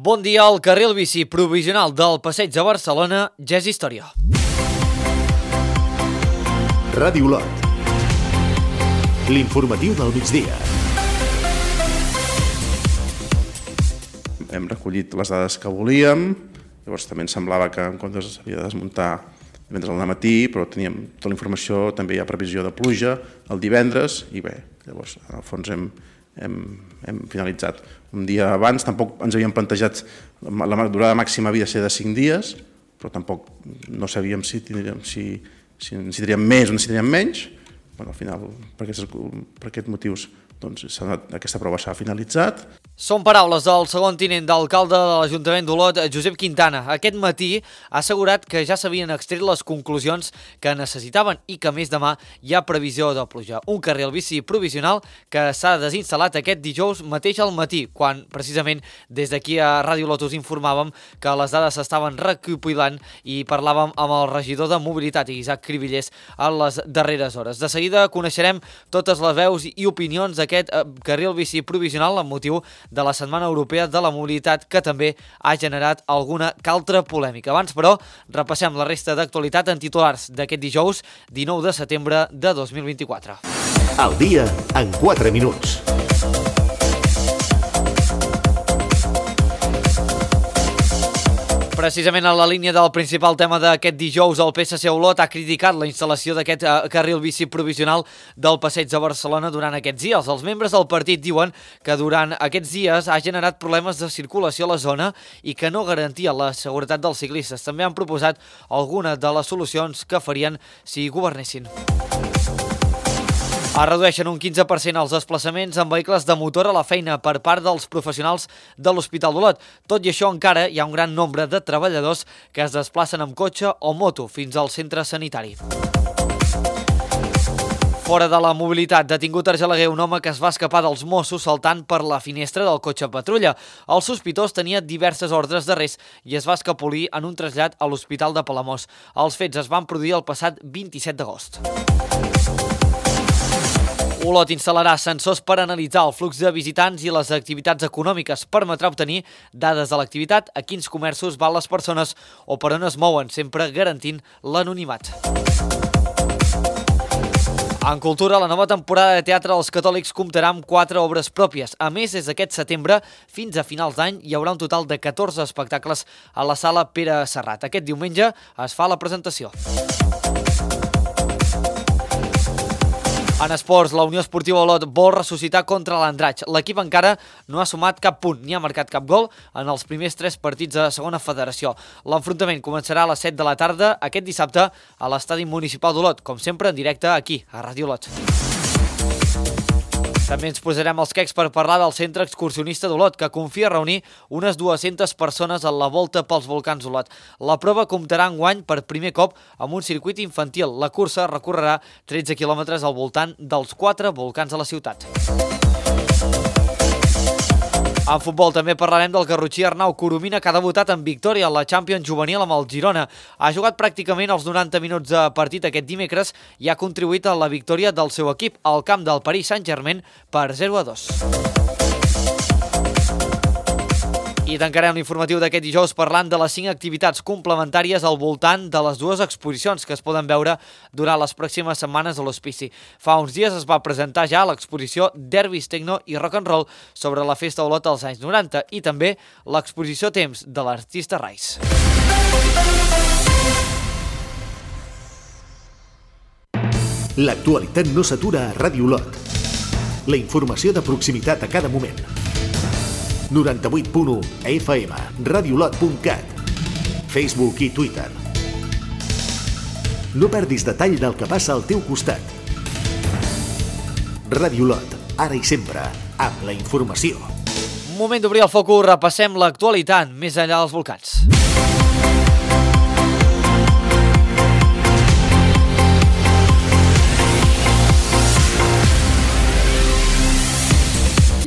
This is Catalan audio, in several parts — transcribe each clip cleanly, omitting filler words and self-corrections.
Bon dia, el carril bici provisional del Passeig de Barcelona ja és història. Ràdio Lot. L'informatiu del migdia. Hem recollit les dades que volíem, llavors també ens semblava que en comptes s'havia de desmuntar divendres al matí, però teníem tota la informació, també hi ha previsió de pluja el divendres, i bé, llavors en el fons hem finalitzat un dia abans. Tampoc ens havíem plantejat, la durada màxima havia de ser de 5 dies, però tampoc no sabíem si necessitaríem més o necessitaríem menys. Al final, per aquests motius, aquesta prova s'ha finalitzat. Són paraules del segon tinent d'alcalde de l'Ajuntament d'Olot, Josep Quintana. Aquest matí ha assegurat que ja s'havien extret les conclusions que necessitaven i que més demà hi ha previsió de pluja. Un carril bici provisional que s'ha desinstal·lat aquest dijous mateix al matí, quan precisament des d'aquí a Ràdio Lot us informàvem que les dades s'estaven recopilant i parlàvem amb el regidor de Mobilitat, Isaac Cribillers, en les darreres hores. De seguida coneixerem totes les veus i opinions d'aquest carril bici provisional amb motiu de la Setmana Europea de la Mobilitat, que també ha generat alguna que altra polèmica. Abans, però, repassem la resta d'actualitat en titulars d'aquest dijous, 19 de setembre de 2024. El dia en 4 minuts. Precisament en la línia del principal tema d'aquest dijous, el PSC Olot ha criticat la instal·lació d'aquest carril bici provisional del Passeig de Barcelona durant aquests dies. Els membres del partit diuen que durant aquests dies ha generat problemes de circulació a la zona i que no garantia la seguretat dels ciclistes. També han proposat algunes de les solucions que farien si governessin. Es redueixen un 15% els desplaçaments amb vehicles de motor a la feina per part dels professionals de l'Hospital d'Olot. Tot i això, encara hi ha un gran nombre de treballadors que es desplacen amb cotxe o moto fins al centre sanitari. Fora de la mobilitat, detingut a Argelaguer un home que es va escapar dels Mossos saltant per la finestra del cotxe patrulla. El sospitós tenia diverses ordres d'arrest i es va escapolir en un trasllat a l'Hospital de Palamós. Els fets es van produir el passat 27 d'agost. Olot instal·larà sensors per analitzar el flux de visitants i les activitats econòmiques. Permetrà obtenir dades de l'activitat, a quins comerços van les persones o per on es mouen, sempre garantint l'anonimat. En cultura, la nova temporada de teatre dels catòlics comptarà amb 4 obres pròpies. A més, des d'aquest setembre fins a finals d'any hi haurà un total de 14 espectacles a la sala Pere Serrat. Aquest diumenge es fa la presentació. En esports, la Unió Esportiva Olot vol ressuscitar contra l'Andratx. L'equip encara no ha sumat cap punt ni ha marcat cap gol en els primers 3 partits de segona federació. L'enfrontament començarà a les 7 de la tarda aquest dissabte a l'estadi municipal d'Olot, com sempre en directe aquí, a Ràdio Lot. També ens posarem els quecs per parlar del centre excursionista d'Olot, que confia reunir unes 200 persones a la volta pels volcans d'Olot. La prova comptarà enguany per primer cop amb un circuit infantil. La cursa recorrerà 13 quilòmetres al voltant dels 4 volcans de la ciutat. En futbol també parlarem del garrotxí Arnau Coromina, que ha debutat en victòria a la Champions juvenil amb el Girona. Ha jugat pràcticament els 90 minuts de partit aquest dimecres i ha contribuït a la victòria del seu equip al camp del Paris Saint-Germain per 0-2. I tancarem l'informatiu d'aquest dijous parlant de les 5 activitats complementàries al voltant de les 2 exposicions que es poden veure durant les pròximes setmanes a l'Hospici. Fa uns dies es va presentar ja l'exposició Derbis, Tecno i Rock and Roll sobre la festa Olot dels anys 90 i també l'exposició Temps de l'artista Rice. L'actualitat no s'atura a Ràdio Lot. La informació de proximitat a cada moment. 98.1 FM, radiolot.cat, Facebook i Twitter. No perdis detall del que passa al teu costat. Ràdio Lot, ara i sempre, amb la informació. Moment d'obrir el focus, repassem l'actualitat més enllà dels volcans.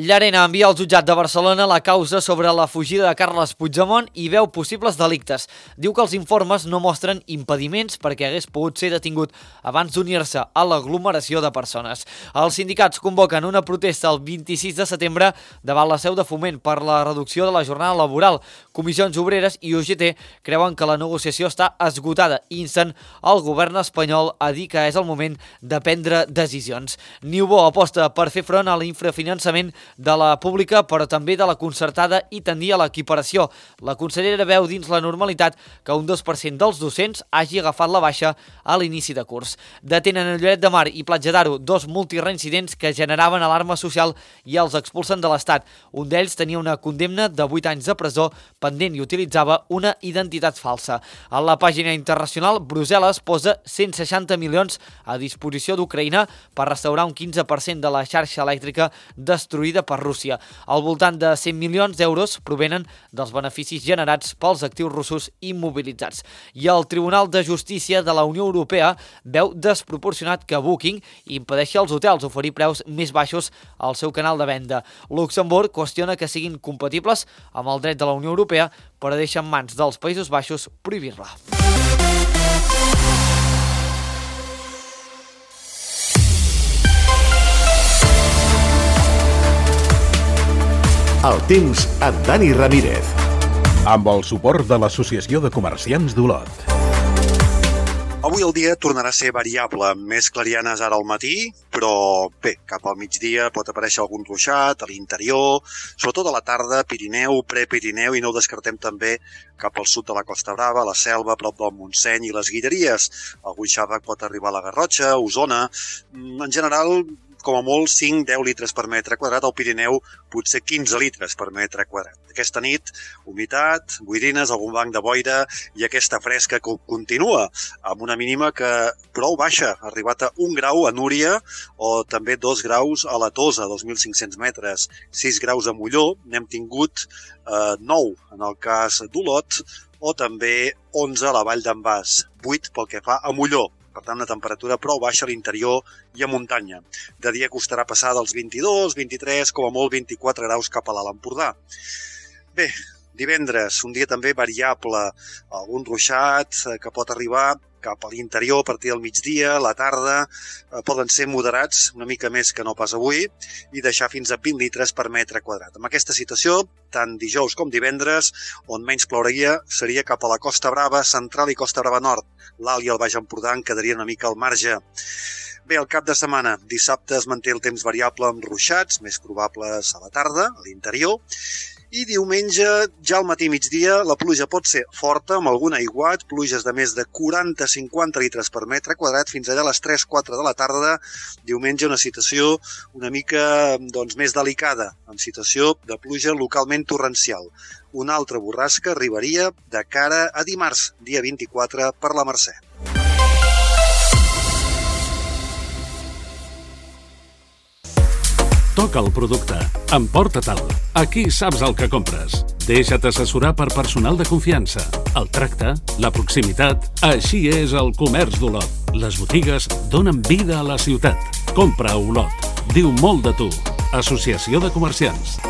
Llarena envia al jutjat de Barcelona la causa sobre la fugida de Carles Puigdemont i veu possibles delictes. Diu que els informes no mostren impediments perquè hagués pogut ser detingut abans d'unir-se a l'aglomeració de persones. Els sindicats convoquen una protesta el 26 de setembre davant la seu de Foment per la reducció de la jornada laboral. Comissions Obreres i UGT creuen que la negociació està esgotada i insten el govern espanyol a dir que és el moment de prendre decisions. Niubó aposta per fer front a l'infrafinançament de la pública, però també de la concertada i tendir a l'equiparació. La consellera veu dins la normalitat que un 2% dels docents hagi agafat la baixa a l'inici de curs. Detenen a Lloret de Mar i Platja d'Aro dos multireincidents que generaven alarma social i els expulsen de l'Estat. Un d'ells tenia una condemna de 8 anys de presó pendent i utilitzava una identitat falsa. A la pàgina internacional, Brussel·les posa 160 milions a disposició d'Ucraïna per restaurar un 15% de la xarxa elèctrica destruïda per Rússia. Al voltant de 100 milions d'euros provenen dels beneficis generats pels actius russos immobilitzats. I el Tribunal de Justícia de la Unió Europea veu desproporcionat que Booking impedeixi als hotels oferir preus més baixos al seu canal de venda. Luxemburg qüestiona que siguin compatibles amb el dret de la Unió Europea, però deixa en mans dels Països Baixos prohibir-la. El temps amb Dani Ramírez. Amb el suport de l'Associació de Comerciants d'Olot. Avui el dia tornarà a ser variable, amb més clarianes ara al matí, però bé, cap al migdia pot aparèixer algun ruixat a l'interior, sobretot a la tarda, Pirineu, Prepirineu, i no ho descartem també cap al sud de la Costa Brava, la Selva, a prop del Montseny i les Guilleries. Algun xàrrec pot arribar a la Garrotxa, Osona. En general, com a molt 5-10 litres per metre quadrat, al Pirineu potser 15 litres per metre quadrat. Aquesta nit, humitat, boirines, algun banc de boira i aquesta fresca que continua, amb una mínima que prou baixa, ha arribat a 1 grau a Núria o també 2 graus a la Tosa, 2.500 metres, 6 graus a Molló, n'hem tingut 9 en el cas d'Olot, o també 11 a la Vall d'en Bas, 8 pel que fa a Molló. Per tant, una temperatura prou baixa a l'interior i a muntanya. De dia costarà passar dels 22, 23, com a molt 24 graus cap a l'Alt Empordà. Bé, divendres, un dia també variable, algun ruixat que pot arribar cap a l'interior a partir del migdia, la tarda, poden ser moderats, una mica més que no pas avui, i deixar fins a 20 litres per metre quadrat. Amb aquesta situació, tant dijous com divendres, on menys plouria seria cap a la Costa Brava Central i Costa Brava Nord. L'Alt i el Baix Empordà en quedarien una mica al marge. Bé, el cap de setmana, dissabte es manté el temps variable amb ruixats, més probables a la tarda, a l'interior, i diumenge, ja al matí migdia, la pluja pot ser forta, amb algun aiguat, pluges de més de 40-50 litres per metre quadrat, fins allà a les 3-4 de la tarda. Diumenge una situació una mica més delicada, amb situació de pluja localment torrencial. Una altra borrasca arribaria de cara a dimarts, dia 24, per la Mercè. Toca el producte. Emporta-te'l. Aquí saps el que compres. Deixa't assessorar per personal de confiança. El tracte, la proximitat... Així és el comerç d'Olot. Les botigues donen vida a la ciutat. Compra a Olot. Diu molt de tu. Associació de Comerciants.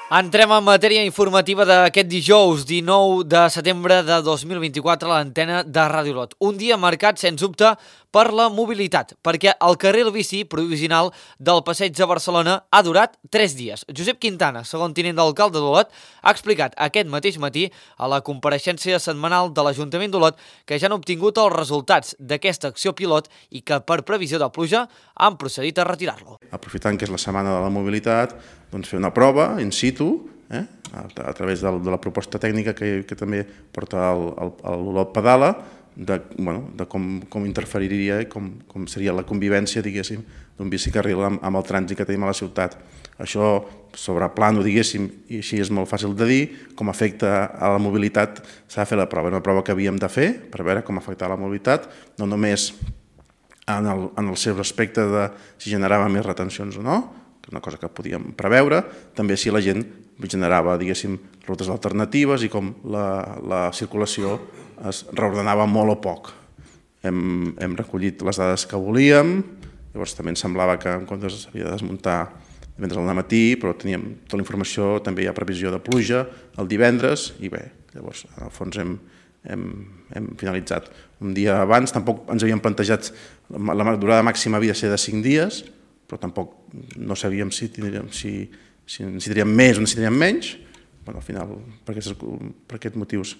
Entrem en matèria informativa d'aquest dijous 19 de setembre de 2024 a l'antena de Ràdio Olot. Un dia marcat, sens dubte, per la mobilitat, perquè el carril bici provisional del Passeig de Barcelona ha durat 3 dies. Josep Quintana, segon tinent d'alcalde d'Olot, ha explicat aquest mateix matí a la compareixença setmanal de l'Ajuntament d'Olot que ja han obtingut els resultats d'aquesta acció pilot i que per previsió de pluja han procedit a retirar-lo. Aprofitant que és la setmana de la mobilitat, doncs fer una prova in situ, a través de la proposta tècnica que també porta l'Olot Pedala, de com interferiria i com seria la convivència, diguéssim, d'un bicicarril amb el trànsit que tenim a la ciutat. Això, sobre plano, diguéssim, i així és molt fàcil de dir, com afecta a la mobilitat, s'ha de fer la prova. Una prova que havíem de fer per veure com afectava la mobilitat, no només en el seu aspecte de si generava més retencions o no, que és una cosa que podíem preveure, també si la gent generava, diguéssim, rutes alternatives i com la circulació es reordenava molt o poc. Hem recollit les dades que volíem, llavors també ens semblava que en comptes s'havia de desmuntar divendres al matí, però teníem tota la informació, també hi ha previsió de pluja el divendres, i bé, llavors en el fons hem finalitzat. Un dia abans tampoc ens havíem plantejat, la durada màxima havia de ser de 5 dies, però tampoc no sabíem si necessitaríem més o necessitaríem menys. Al final, per aquests motius,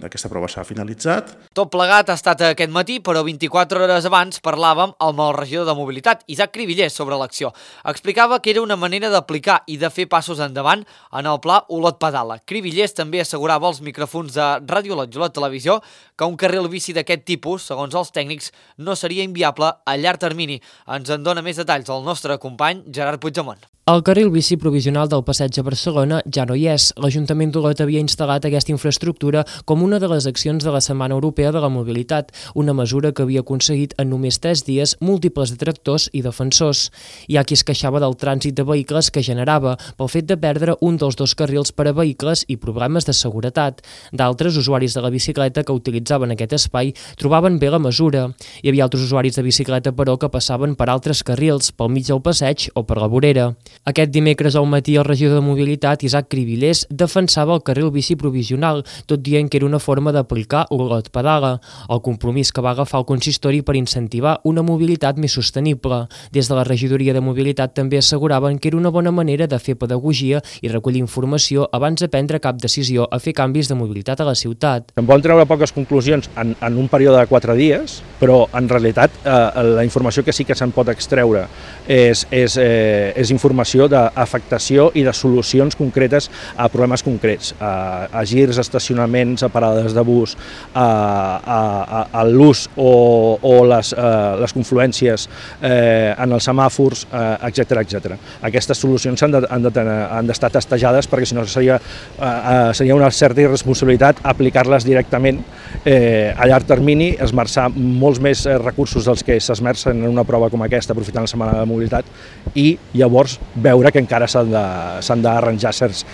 aquesta prova s'ha finalitzat. Tot plegat ha estat aquest matí, però 24 hores abans parlàvem amb el regidor de Mobilitat, Isaac Cribillers, sobre l'acció. Explicava que era una manera d'aplicar i de fer passos endavant en el pla Olot Pedala. Cribillers també assegurava als micròfons de Ràdio Olot i Olot Televisió que un carril bici d'aquest tipus, segons els tècnics, no seria inviable a llarg termini. Ens en dona més detalls el nostre company Gerard Puigdemont. El carril bici provisional del passeig a Barcelona ja no hi és. L'Ajuntament d'Olot havia instal·lat aquesta infraestructura com una de les accions de la Setmana Europea de la Mobilitat, una mesura que havia aconseguit en només 3 dies múltiples detractors i defensors. Hi ha qui es queixava del trànsit de vehicles que generava pel fet de perdre un dels 2 carrils per a vehicles i problemes de seguretat. D'altres usuaris de la bicicleta que utilitzaven aquest espai trobaven bé la mesura. Hi havia altres usuaris de bicicleta, però, que passaven per altres carrils, pel mig del passeig o per la vorera. Aquest dimecres al matí el regidor de Mobilitat, Isaac Cribillers, defensava el carril bici provisional, tot dient que era una forma d'aplicar Olot Pedala, el compromís que va agafar el consistori per incentivar una mobilitat més sostenible. Des de la regidoria de Mobilitat també asseguraven que era una bona manera de fer pedagogia i recollir informació abans de prendre cap decisió a fer canvis de mobilitat a la ciutat. En poden treure poques conclusions en un període de 4 dies, però en realitat la informació que sí que se'n pot extreure és informació d'afectació i de solucions concretes a problemes concrets, a girs, estacionaments, a parades de bus, a l'ús o les confluències en els semàfors, etc. Aquestes solucions han d'estar testejades perquè si no seria una certa irresponsabilitat aplicar-les directament a llarg termini, esmerçar molts més recursos dels que s'esmercen en una prova com aquesta aprofitant la Setmana de Mobilitat i llavors veure que encara s'han d'arranjar certs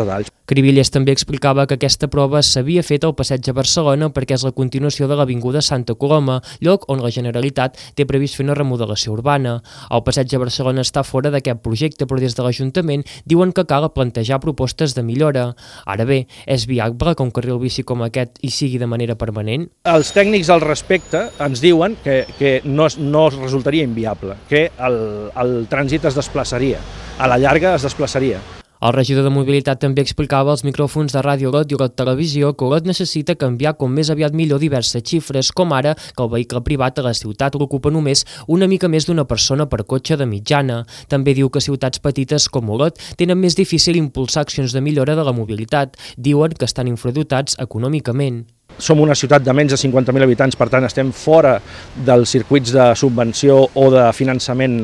detalls. Cribillers també explicava que aquesta prova s'havia fet al passeig a Barcelona perquè és la continuació de l'Avinguda Santa Coloma, lloc on la Generalitat té previst fer una remodelació urbana. El passeig a Barcelona està fora d'aquest projecte, però des de l'Ajuntament diuen que cal plantejar propostes de millora. Ara bé, és viable que un carril bici com aquest hi sigui de manera permanent? Els tècnics al respecte ens diuen que no resultaria inviable, que el trànsit es desplaçaria, a la llarga es desplaçaria. El regidor de Mobilitat també explicava als micròfons de Ràdio Olot i Olot Televisió que Olot necessita canviar com més aviat millor diverses xifres, com ara que el vehicle privat a la ciutat l'ocupa només una mica més d'una persona per cotxe de mitjana. També diu que ciutats petites com Olot tenen més difícil impulsar accions de millora de la mobilitat. Diuen que estan infradotats econòmicament. Som una ciutat de menys de 50.000 habitants, per tant estem fora dels circuits de subvenció o de finançament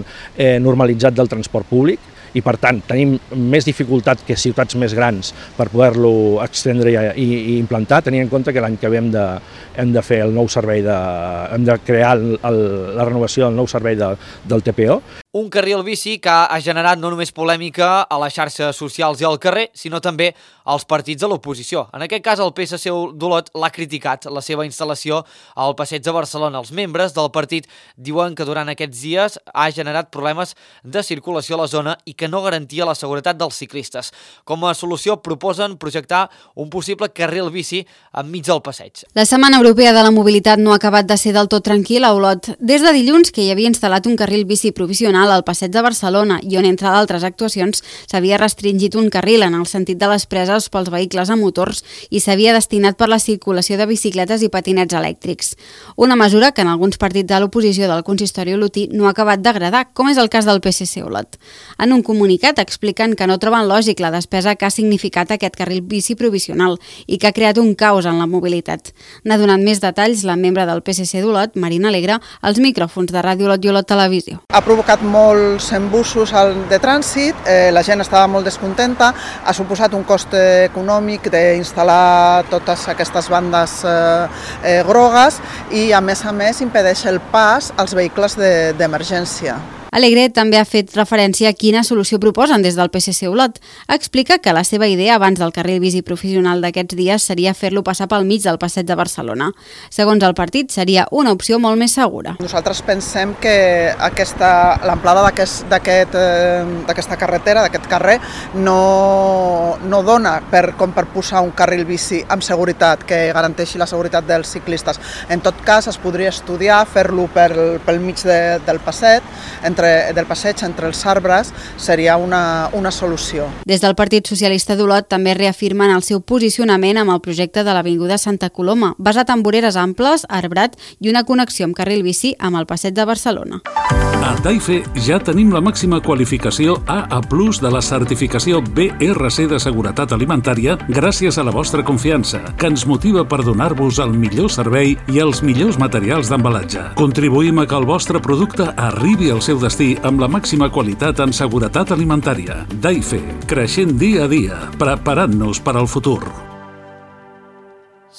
normalitzat del transport públic i per tant tenim més dificultat que ciutats més grans per poder-lo extendre i implantar, tenint en compte que l'any que ve hem de fer el nou servei, hem de crear la renovació del nou servei del TPO. Un carril bici que ha generat no només polèmica a les xarxes socials i al carrer, sinó també als partits de l'oposició. En aquest cas, el PSC d'Olot l'ha criticat, la seva instal·lació al passeig de Barcelona. Els membres del partit diuen que durant aquests dies ha generat problemes de circulació a la zona i que no garantia la seguretat dels ciclistes. Com a solució, proposen projectar un possible carril bici enmig del passeig. La Setmana Europea de la Mobilitat no ha acabat de ser del tot tranquil a Olot. Des de dilluns, que hi havia instal·lat un carril bici provisional al passeig de Barcelona i on, entre d'altres actuacions, s'havia restringit un carril en el sentit de les preses pels vehicles a motors i s'havia destinat per la circulació de bicicletes i patinets elèctrics. Una mesura que en alguns partits de l'oposició del consistori olotí no ha acabat d'agradar, com és el cas del PSC Olot. En un comunicat expliquen que no troben lògic la despesa que ha significat aquest carril bici provisional i que ha creat un caos en la mobilitat. N'ha donat més detalls la membre del PSC d'Olot, Marina Alegre, als micròfons de Ràdio Olot i Olot Televisió. Ha provocat molts embussos de trànsit, la gent estava molt descontenta, ha suposat un cost econòmic d'instal·lar totes aquestes bandes grogues i a més impedeix el pas als vehicles d'emergència. Alegre també ha fet referència a quina solució proposen des del PSC Olot. Explica que la seva idea abans del carril bici professional d'aquests dies seria fer-lo passar pel mig del passeig de Barcelona. Segons el partit, seria una opció molt més segura. Nosaltres pensem que l'amplada d'aquesta carretera, d'aquest carrer, no dona com per posar un carril bici amb seguretat, que garanteixi la seguretat dels ciclistes. En tot cas, es podria estudiar fer-lo pel mig del passeig, entre els arbres, seria una solució. Des del Partit Socialista d'Olot també reafirmen el seu posicionament amb el projecte de l'Avinguda Santa Coloma, basat en voreres amples, arbrat i una connexió amb carril bici amb el passeig de Barcelona. A Taife ja tenim la màxima qualificació AA+ de la certificació BRC de seguretat alimentària gràcies a la vostra confiança, que ens motiva per donar-vos el millor servei i els millors materials d'embalatge. Contribuïm a que el vostre producte arribi al seu destí amb la màxima qualitat en seguretat alimentària. Taife, creixent dia a dia, preparant-nos per al futur.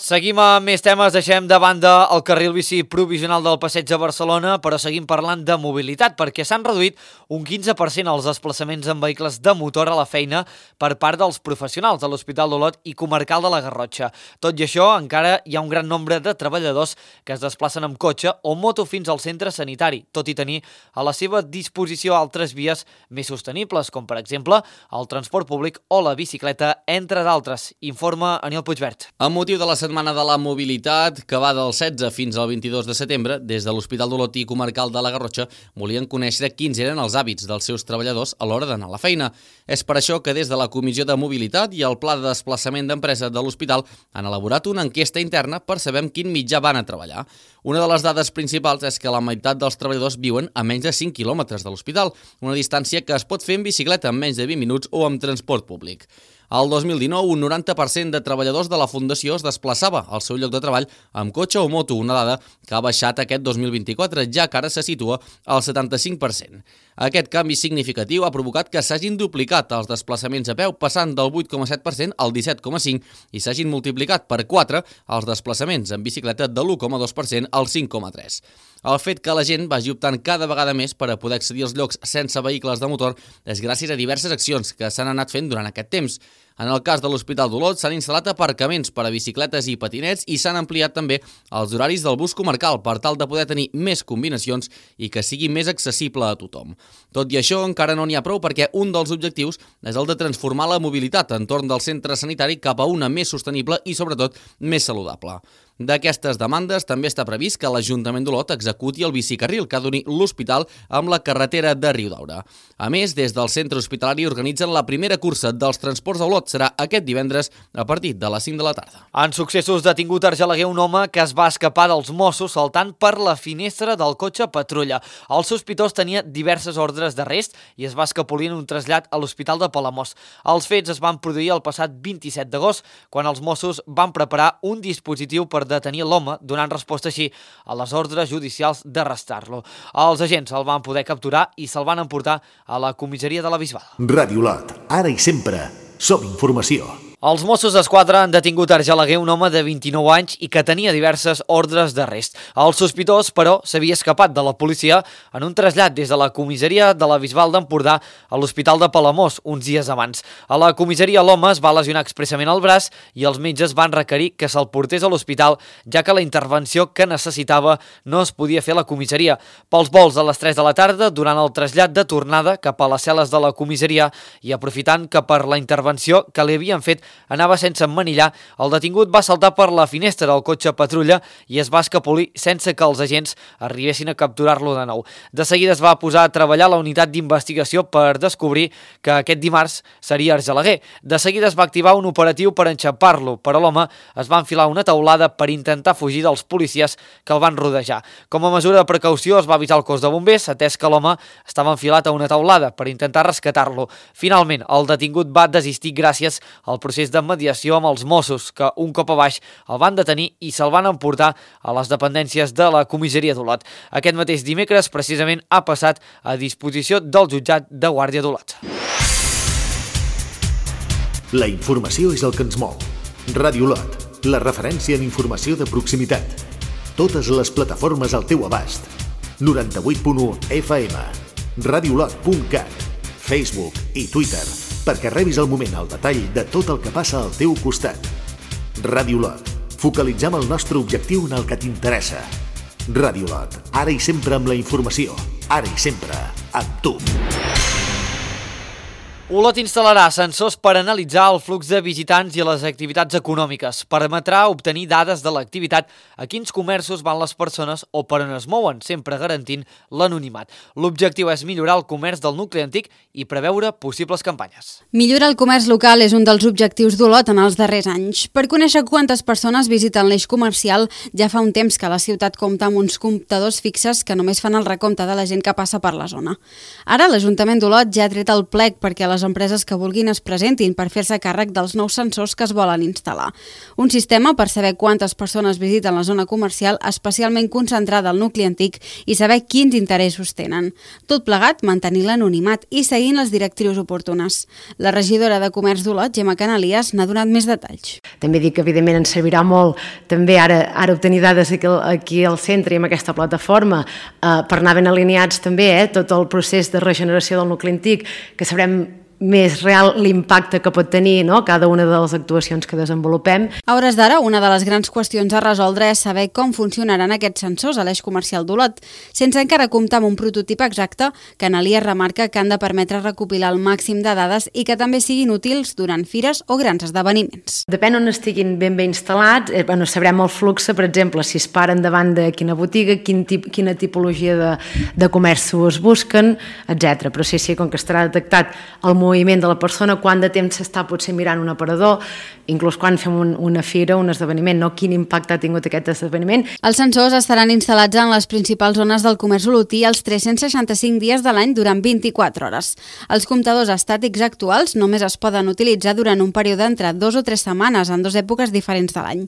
Seguim amb més temes, deixem de banda el carril bici provisional del passeig de Barcelona, però seguim parlant de mobilitat, perquè s'han reduït un 15% els desplaçaments en vehicles de motor a la feina per part dels professionals de l'Hospital d'Olot i Comarcal de la Garrotxa. Tot i això, encara hi ha un gran nombre de treballadors que es desplacen amb cotxe o moto fins al centre sanitari, tot i tenir a la seva disposició altres vies més sostenibles, com per exemple el transport públic o la bicicleta, entre d'altres. Informa Aniol Puigvert. Amb motiu de la Setmana de la Mobilitat, que va del 16 fins al 22 de setembre, des de l'Hospital d'Olot i Comarcal de la Garrotxa volien conèixer quins eren els hàbits dels seus treballadors a l'hora d'anar a la feina. És per això que des de la Comissió de Mobilitat i el Pla de Desplaçament d'Empresa de l'Hospital han elaborat una enquesta interna per saber amb quin mitjà van a treballar. Una de les dades principals és que la meitat dels treballadors viuen a menys de 5 quilòmetres de l'hospital, una distància que es pot fer en bicicleta en menys de 20 minuts o amb transport públic. Al 2019, un 90% de treballadors de la Fundació es desplaçava al seu lloc de treball amb cotxe o moto, una dada que ha baixat aquest 2024, ja que ara se situa al 75%. Aquest canvi significatiu ha provocat que s'hagin duplicat els desplaçaments a peu, passant del 8,7% al 17,5% i s'hagin multiplicat per 4 els desplaçaments en bicicleta de l'1,2% al 5,3%. El fet que la gent vagi optant cada vegada més per a poder accedir als llocs sense vehicles de motor és gràcies a diverses accions que s'han anat fent durant aquest temps. En el cas de l'Hospital d'Olot s'han instal·lat aparcaments per a bicicletes i patinets i s'han ampliat també els horaris del bus comarcal per tal de poder tenir més combinacions i que sigui més accessible a tothom. Tot i això, encara no n'hi ha prou perquè un dels objectius és el de transformar la mobilitat entorn del centre sanitari cap a una més sostenible i, sobretot, més saludable. D'aquestes demandes també està previst que l'Ajuntament d'Olot executi el bicicarril que ha d'unir l'hospital amb la carretera de Riudaura. A més, des del centre hospitalari organitzen la primera cursa dels transports a Olot. Serà aquest divendres a partir de les 5 de la tarda. En successos, detingut a Argelaguer un home que es va escapar dels Mossos saltant per la finestra del cotxe patrulla. El sospitós tenia diverses ordres d'arrest i es va escapolir en un trasllat a l'Hospital de Palamós. Els fets es van produir el passat 27 d'agost, quan els Mossos van preparar un dispositiu per detenir l'home, donant resposta així a les ordres judicials d'arrestar-lo. Els agents el van poder capturar i se'l van emportar a la comissaria de la Bisbal. Ràdio Olot, ara i sempre, som informació. Els Mossos d'Esquadra han detingut a Argelaguer un home de 29 anys i que tenia diverses ordres d'arrest. El sospitós, però, s'havia escapat de la policia en un trasllat des de la comissaria de la Bisbal d'Empordà a l'Hospital de Palamós uns dies abans. A la comissaria l'home es va lesionar expressament al braç i els metges van requerir que se'l portés a l'hospital, ja que la intervenció que necessitava no es podia fer a la comissaria. Pels vols a les 3 de la tarda, durant el trasllat de tornada cap a les cel·les de la comissaria i aprofitant que per la intervenció que li havien fet anava sense emmanillar, el detingut va saltar per la finestra del cotxe patrulla i es va escapolir sense que els agents arribessin a capturar-lo de nou. De seguida es va posar a treballar a la unitat d'investigació per descobrir que aquest dimarts seria Argelaguer. De seguida es va activar un operatiu per enxampar-lo, però l'home es va enfilar una teulada per intentar fugir dels policies que el van rodejar. Com a mesura de precaució es va avisar el cos de bombers, atès que l'home estava enfilat a una teulada per intentar rescatar-lo. Finalment, el detingut va desistir gràcies al procés de mediació amb els Mossos, que un cop a baix el van detenir i se'l van emportar a les dependències de la comissaria d'Olot. Aquest mateix dimecres, precisament, ha passat a disposició del jutjat de Guàrdia d'Olot. La informació és el que ens mou. Ràdio Olot, la referència en informació de proximitat. Totes les plataformes al teu abast. 98.1 FM. radiolot.cat, Facebook i Twitter, perquè rebis al moment al detall de tot el que passa al teu costat. Radiolot. Focalitzem el nostre objectiu en el que t'interessa. Radiolot. Ara i sempre amb la informació. Ara i sempre amb tu. Olot instal·larà sensors per analitzar el flux de visitants i les activitats econòmiques. Permetrà obtenir dades de l'activitat, a quins comerços van les persones o per on es mouen, sempre garantint l'anonimat. L'objectiu és millorar el comerç del nucli antic i preveure possibles campanyes. Millorar el comerç local és un dels objectius d'Olot en els darrers anys. Per conèixer quantes persones visiten l'eix comercial, ja fa un temps que la ciutat compta amb uns comptadors fixes que només fan el recompte de la gent que passa per la zona. Ara l'Ajuntament d'Olot ja ha tret el plec perquè les empreses que vulguin es presentin per fer-se càrrec dels nous sensors que es volen instal·lar. Un sistema per saber quantes persones visiten la zona comercial especialment concentrada al nucli antic i saber quins interessos tenen. Tot plegat, mantenir l'anonimat i seguint les directrius oportunes. La regidora de Comerç d'Olot, Gemma Canalies, n'ha donat més detalls. També dic que evidentment ens servirà molt també ara obtenir dades aquí al centre i amb aquesta plataforma per anar ben alineats també tot el procés de regeneració del nucli antic, que sabrem més real l'impacte que pot tenir cada una de les actuacions que desenvolupem. A hores d'ara, una de les grans qüestions a resoldre és saber com funcionaran aquests sensors a l'eix comercial d'Olot. Sense encara comptar amb un prototip exacte, Canalies remarca que han de permetre recopilar el màxim de dades i que també siguin útils durant fires o grans esdeveniments. Depèn on estiguin ben instal·lats, sabrem el flux, per exemple, si es paren davant de quina botiga, quina tipologia de comerços busquen, etc. Però sí, com que estarà detectat el moviment de la persona, quant de temps s'està potser mirant un aparador, inclús quan fem una fira, un esdeveniment, quin impacte ha tingut aquest esdeveniment. Els sensors estaran instal·lats en les principals zones del comerç olotí els 365 dies de l'any durant 24 hores. Els comptadors estàtics actuals només es poden utilitzar durant un període entre 2 o 3 setmanes en 2 èpoques diferents de l'any.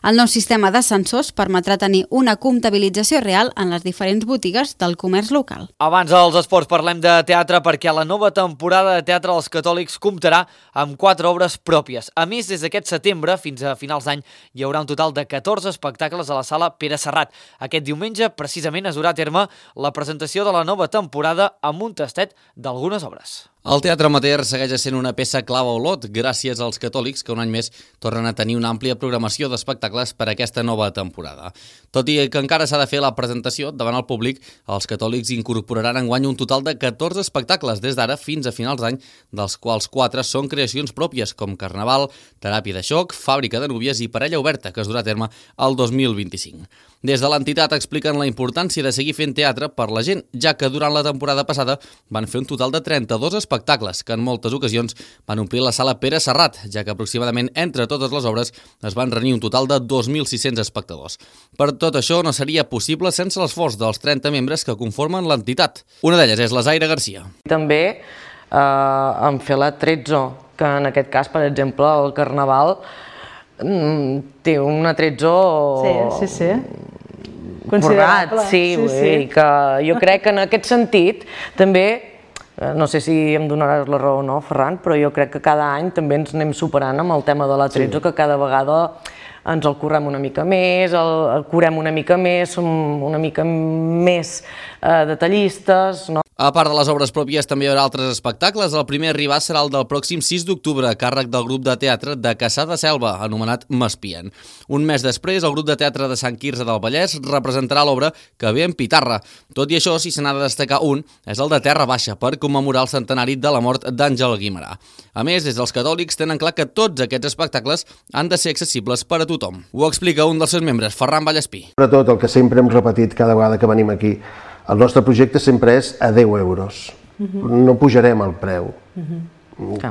El nou sistema de sensors permetrà tenir una comptabilització real en les diferents botigues del comerç local. Abans dels esports parlem de teatre perquè la nova temporada de Teatre dels Catòlics comptarà amb 4 obres pròpies. A més, des d'aquest setembre fins a finals d'any hi haurà un total de 14 espectacles a la sala Pere Serrat. Aquest diumenge, precisament, es durà a terme la presentació de la nova temporada amb un tastet d'algunes obres. El Teatre Amateur segueix sent una peça clau a Olot, gràcies als catòlics que un any més tornen a tenir una àmplia programació d'espectacles per a aquesta nova temporada. Tot i que encara s'ha de fer la presentació davant el públic, els catòlics incorporaran enguany un total de 14 espectacles des d'ara fins a finals d'any, dels quals 4 són creacions pròpies, com Carnaval, Teràpia de xoc, Fàbrica de núvies i Parella oberta, que es durà a terme el 2025. Des de l'entitat expliquen la importància de seguir fent teatre per la gent, ja que durant la temporada passada van fer un total de 32 espectacles, que en moltes ocasions van omplir la sala Pere Serrat, ja que aproximadament entre totes les obres es van reunir un total de 2.600 espectadors. Per tot això no seria possible sense l'esforç dels 30 membres que conformen l'entitat. Una d'elles és la Zaira Garcia. També en fer la Trezzo, que en aquest cas, per exemple, el Carnaval té una Trezzo considerable. Sí, que jo crec que en aquest sentit també, no sé si em donaràs la raó o no, Ferran, però jo crec que cada any també ens anem superant amb el tema de la Trezzo, que cada vegada ens el currem una mica més, el curem una mica més, som una mica més detallistes, no? A part de les obres pròpies, també hi haurà altres espectacles. El primer a arribar serà el del pròxim 6 d'octubre, a càrrec del grup de teatre de Caçà de Selva, anomenat M'espien. Un mes després, el grup de teatre de Sant Quirze del Vallès representarà l'obra Que ve en Pitarra. Tot i això, si se n'ha de destacar un, és el de Terra Baixa, per commemorar el centenari de la mort d'Àngel Guimerà. A més, des dels catòlics tenen clar que tots aquests espectacles han de ser accessibles per a tothom. Ho explica un dels seus membres, Ferran Vallespí. Sobretot el que sempre hem repetit cada vegada que venim aquí, el nostre projecte sempre és a 10 euros. No pujarem el preu.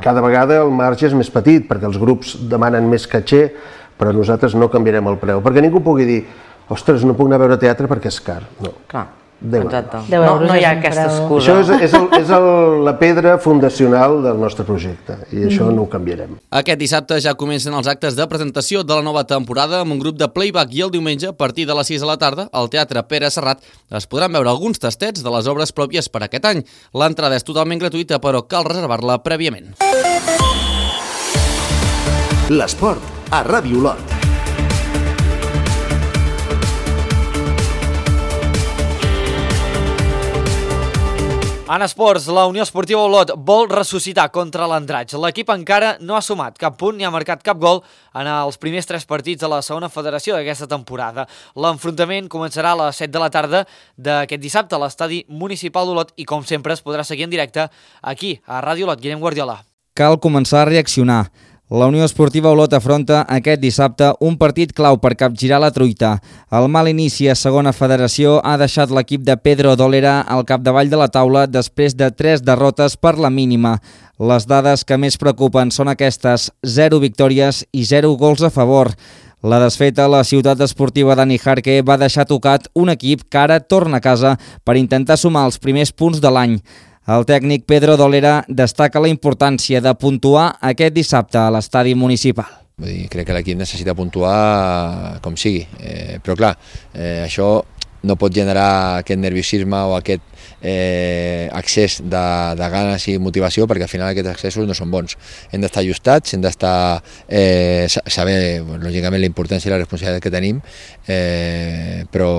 Cada vegada el marge és més petit, perquè els grups demanen més caché, però nosaltres no canviarem el preu. Perquè ningú pugui dir, ostres, no puc anar a veure teatre perquè és car. No. Clar. 10 Exacte. euros. No hi ha aquesta excusa. Això és la pedra fundacional del nostre projecte i això no ho canviarem. Aquest dissabte ja comencen els actes de presentació de la nova temporada amb un grup de playback i el diumenge, a partir de les 6 de la tarda, al Teatre Pere Serrat, es podran veure alguns tastets de les obres pròpies per aquest any. L'entrada és totalment gratuïta, però cal reservar-la prèviament. L'esport a Ràdio Olot. En esports, la Unió Esportiva Olot vol ressuscitar contra l'Andratx. L'equip encara no ha sumat cap punt ni ha marcat cap gol en els primers 3 partits de la segona federació d'aquesta temporada. L'enfrontament començarà a les 7 de la tarda d'aquest dissabte a l'estadi municipal d'Olot i, com sempre, es podrà seguir en directe aquí, a Ràdio Olot. Guillem Guardiola. Cal començar a reaccionar. La Unió Esportiva Olot afronta aquest dissabte un partit clau per capgirar la truita. El mal inici a segona federació ha deixat l'equip de Pedro Dolera al capdavall de la taula després de 3 derrotes per la mínima. Les dades que més preocupen són aquestes: 0 victòries i 0 gols a favor. La desfeta a la ciutat esportiva de Nijarque va deixar tocat un equip que ara torna a casa per intentar sumar els primers punts de l'any. El tècnic Pedro Dolera destaca la importància de puntuar aquest dissabte a l'estadi municipal. Crec que l'equip necessita puntuar com sigui, però clar, això no pot generar aquest nerviosisme o aquest excés de ganes i motivació, perquè al final aquests excessos no són bons. Hem d'estar ajustats, hem d'estar saber, lògicament, la importància i la responsabilitat que tenim, però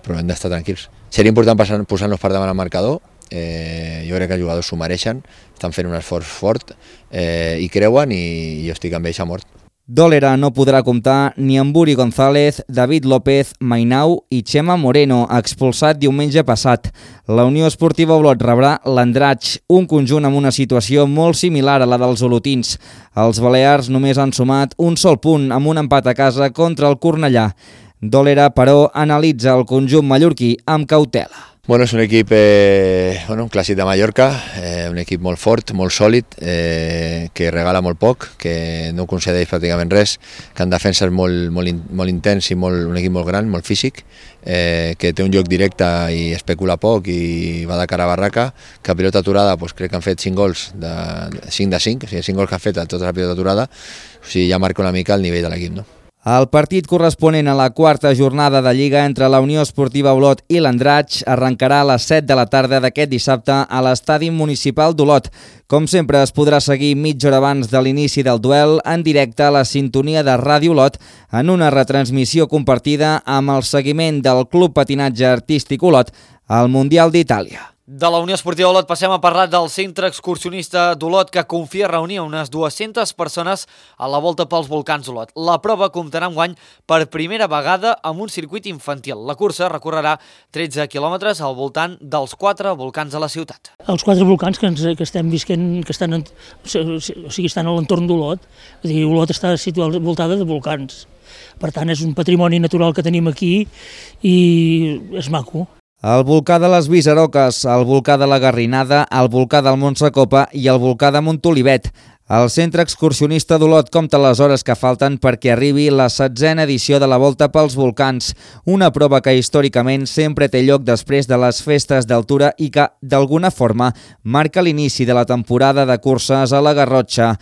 hem d'estar tranquils. Seria important posar-nos per davant al marcador. Jo crec que els jugadors s'ho mereixen, estan fent un esforç fort i creuen, i jo estic amb ells a mort. Dolera no podrà comptar ni amb Uri González, David López, Mainau i Chema Moreno, expulsat diumenge passat. La Unió Esportiva Olot rebrà l'Andratx, un conjunt amb una situació molt similar a la dels olotins. Els balears només han sumat un sol punt amb un empat a casa contra el Cornellà. Dolera, però, analitza el conjunt mallorquí amb cautela. Bueno, és un equip, un clàssic de Mallorca, un equip molt fort, molt sòlid, que regala molt poc, que no concedeix pràcticament res, que en defensa és molt intens i un equip molt gran, molt físic, que té un joc directe i especula poc i va de cara a barraca, que a pilota aturada crec que han fet 5 gols, 5 de 5, o sigui 5 gols que han fet a tota la pilota aturada, o sigui ja marca una mica el nivell de l'equip, no? El partit corresponent a la 4a jornada de Lliga entre la Unió Esportiva Olot i l'Andratx arrencarà a les 7 de la tarda d'aquest dissabte a l'estadi municipal d'Olot. Com sempre, es podrà seguir mitja hora abans de l'inici del duel en directe a la sintonia de Ràdio Olot en una retransmissió compartida amb el seguiment del Club Patinatge Artístic Olot al Mundial d'Itàlia. De la Unió Esportiva Olot passem a parlar del centre excursionista d'Olot, que confia reunir unes 200 persones a la volta pels volcans d'Olot. La prova comptarà enguany per primera vegada amb un circuit infantil. La cursa recorrerà 13 quilòmetres al voltant dels 4 volcans de la ciutat. Els 4 volcans que estem visquent, que estan a l'entorn d'Olot, Olot està situada voltada de volcans. Per tant, és un patrimoni natural que tenim aquí i és maco. El volcà de les Visaroques, el volcà de la Garrinada, el volcà del Montsecopa i el volcà de Montolivet. El centre excursionista d'Olot compta les hores que falten perquè arribi la 16a edició de la Volta pels Volcans, una prova que històricament sempre té lloc després de les festes d'altura i que, d'alguna forma, marca l'inici de la temporada de curses a la Garrotxa.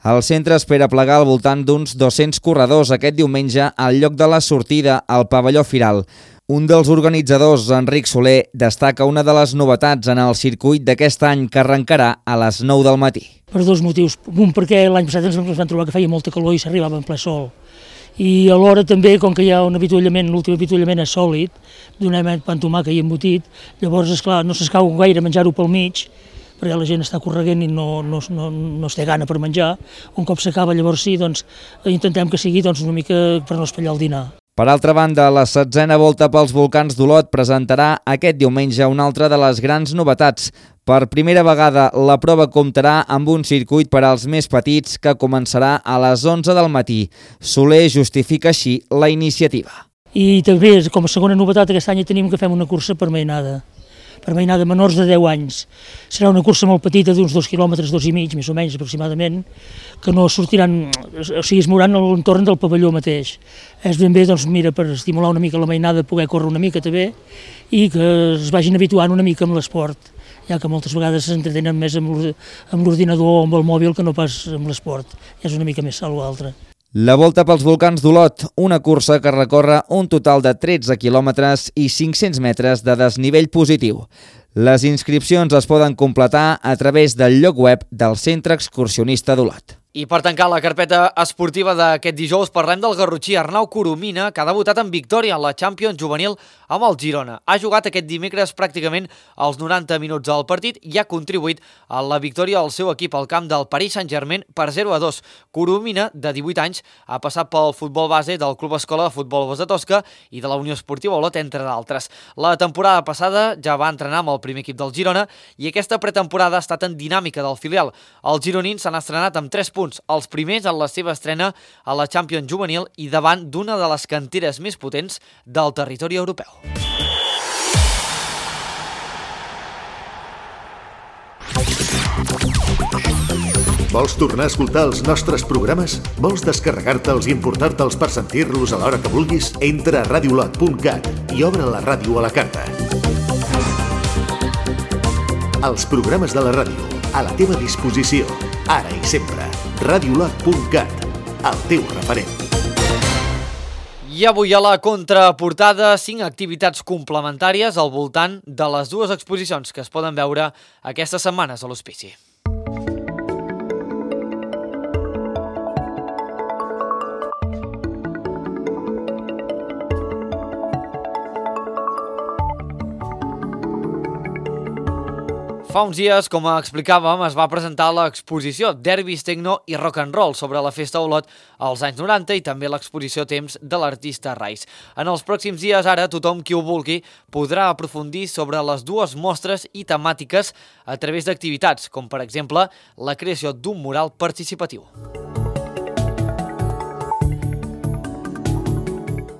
El centre espera plegar al voltant d'uns 200 corredors aquest diumenge al lloc de la sortida, al pavelló Firal. Un dels organitzadors, Enric Soler, destaca una de les novetats en el circuit d'aquest any que arrencarà a les 9 del matí. Per 2 motius. Un, perquè l'any passat ens vam trobar que feia molta calor i s'arribava en ple sol. I alhora també, com que hi ha un avituallament, l'últim avituallament és sòlid, donem pa amb tomàquet i embotit, llavors, esclar, no s'escau gaire menjar-ho pel mig, perquè la gent està correguent i no es té gana per menjar. Un cop s'acaba, llavors sí, intentem que sigui una mica per no espatllar el dinar. Per altra banda, la 16a Volta pels Volcans d'Olot presentarà aquest diumenge una altra de les grans novetats. Per primera vegada, la prova comptarà amb un circuit per als més petits que començarà a les 11 del matí. Soler justifica així la iniciativa. I també, com a segona novetat, aquest any tenim que fem una cursa per mainada menors de 10 anys. Serà una cursa molt petita, d'uns 2 quilòmetres, 2,5, més o menys aproximadament, que no sortiran, es mouran a l'entorn del pavelló mateix. És ben bé, per estimular una mica la mainada, poder córrer una mica també, i que es vagin habituant una mica amb l'esport, ja que moltes vegades s'entretenen més amb l'ordinador o amb el mòbil que no pas amb l'esport. És una mica més salt o altre. La Volta pels Volcans d'Olot, una cursa que recorre un total de 13 quilòmetres i 500 metres de desnivell positiu. Les inscripcions es poden completar a través del lloc web del Centre Excursionista d'Olot. I per tancar la carpeta esportiva d'aquest dijous parlem del garrotxí Arnau Coromina, que ha debutat en victòria en la Champions juvenil amb el Girona. Ha jugat aquest dimecres pràcticament els 90 minuts del partit i ha contribuït a la victòria del seu equip al camp del Paris Saint-Germain per 0-2. Coromina, de 18 anys, ha passat pel futbol base del Club Escola de Futbol Bos de Tosca i de la Unió Esportiva Olot, entre d'altres. La temporada passada ja va entrenar amb el primer equip del Girona i aquesta pretemporada ha estat en dinàmica del filial. Els gironins s'han estrenat amb 3 punts, els primers en la seva estrena a la Champions juvenil i davant d'una de les canteres més potents del territori europeu. Vols tornar a escoltar els nostres programes? Vols descarregar-te'ls i importar-te'ls per sentir-los a l'hora que vulguis? Entra a radiolot.cat i obre la ràdio a la carta. Els programes de la ràdio, a la teva disposició, ara i sempre. Radiolot.cat, el teu referent. I avui a la contraportada 5 activitats complementàries al voltant de les dues exposicions que es poden veure aquestes setmanes a l'Hospici. Fa uns dies, com explicàvem, es va presentar l'exposició Derbis, Tecno i Rock and Roll sobre la Festa Olot als anys 90 i també l'exposició Temps de l'artista Rais. En els pròxims dies, ara, tothom qui ho vulgui podrà aprofundir sobre les dues mostres i temàtiques a través d'activitats, com per exemple la creació d'un mural participatiu.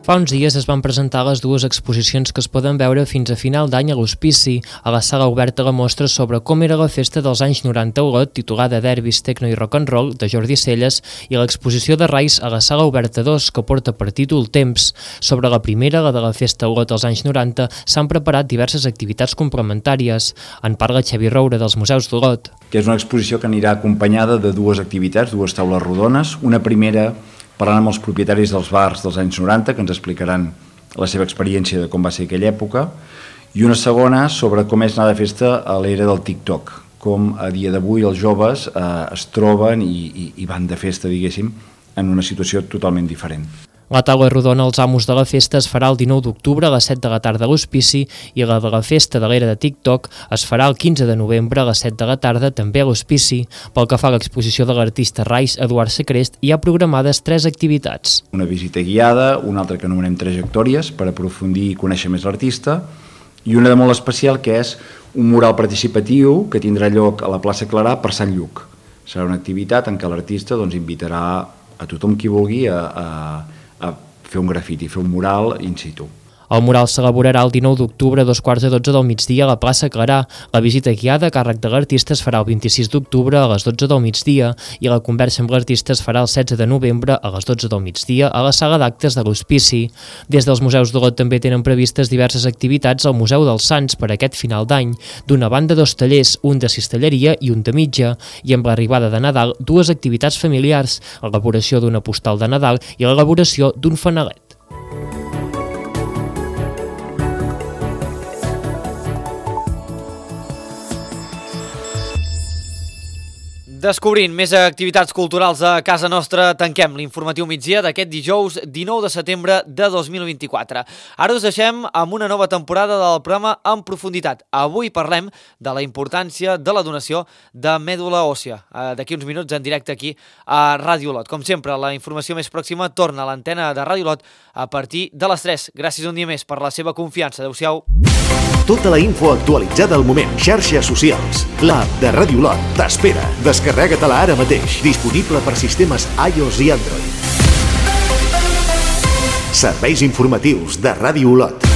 Fa uns dies es van presentar les dues exposicions que es poden veure fins a final d'any a l'Hospici, a la sala oberta la mostra sobre com era la festa dels anys 90 a Olot, titulada Derbis, Tecno i Rock and Roll, de Jordi Celles, i l'exposició de Rais a la sala oberta 2, que porta per títol Temps. Sobre la primera, la de la festa a Olot dels anys 90, s'han preparat diverses activitats complementàries. En parla Xavi Roure, dels Museus d'Olot. Que és una exposició que anirà acompanyada de dues activitats, dues taules rodones. Una primera parlant amb els propietaris dels bars dels anys 90, que ens explicaran la seva experiència de com va ser aquella època, i una segona sobre com és anar de festa a l'era del TikTok, com a dia d'avui els joves es troben i van de festa, diguéssim, en una situació totalment diferent. La taula rodona als amos de la festa es farà el 19 d'octubre a les 7 de la tarda a l'Hospici i la de la festa de l'era de TikTok es farà el 15 de novembre a les 7 de la tarda també a l'Hospici. Pel que fa a l'exposició de l'artista Rais Eduard Secrest, hi ha programades 3 activitats. Una visita guiada, una altra que anomenem trajectòries per aprofundir i conèixer més l'artista, i una de molt especial que és un mural participatiu que tindrà lloc a la plaça Clarà per Sant Lluc. Serà una activitat en què l'artista invitarà a tothom qui vulgui a fer un grafiti, fer un mural in situ. El mural s'elaborarà el 19 d'octubre a 2:15 del migdia a la plaça Clarà. La visita guiada a càrrec de l'artista es farà el 26 d'octubre a les 12 del migdia i la conversa amb l'artista es farà el 16 de novembre a les 12 del migdia a la sala d'actes de l'Hospici. Des dels Museus d'Olot també tenen previstes diverses activitats al Museu dels Sants per aquest final d'any. D'una banda, 2 tallers, un de cistelleria i un de mitja, i amb l'arribada de Nadal, 2 activitats familiars, l'elaboració d'una postal de Nadal i l'elaboració d'un fanalet. Descobrint més activitats culturals a casa nostra, tanquem l'informatiu migdia d'aquest dijous 19 de setembre de 2024. Ara us deixem amb una nova temporada del programa En Profunditat. Avui parlem de la importància de la donació de mèdula òssia. D'aquí uns minuts en directe aquí a Ràdio Olot. Com sempre, la informació més pròxima torna a l'antena de Ràdio Olot a partir de les 3. Gràcies un dia més per la seva confiança. Adéu-siau. Tota la info actualitzada al moment. Xarxes socials. L'app de Ràdio Olot t'espera. Descarrega-te-la ara mateix. Disponible per sistemes iOS i Android. Serveis informatius de Ràdio Olot.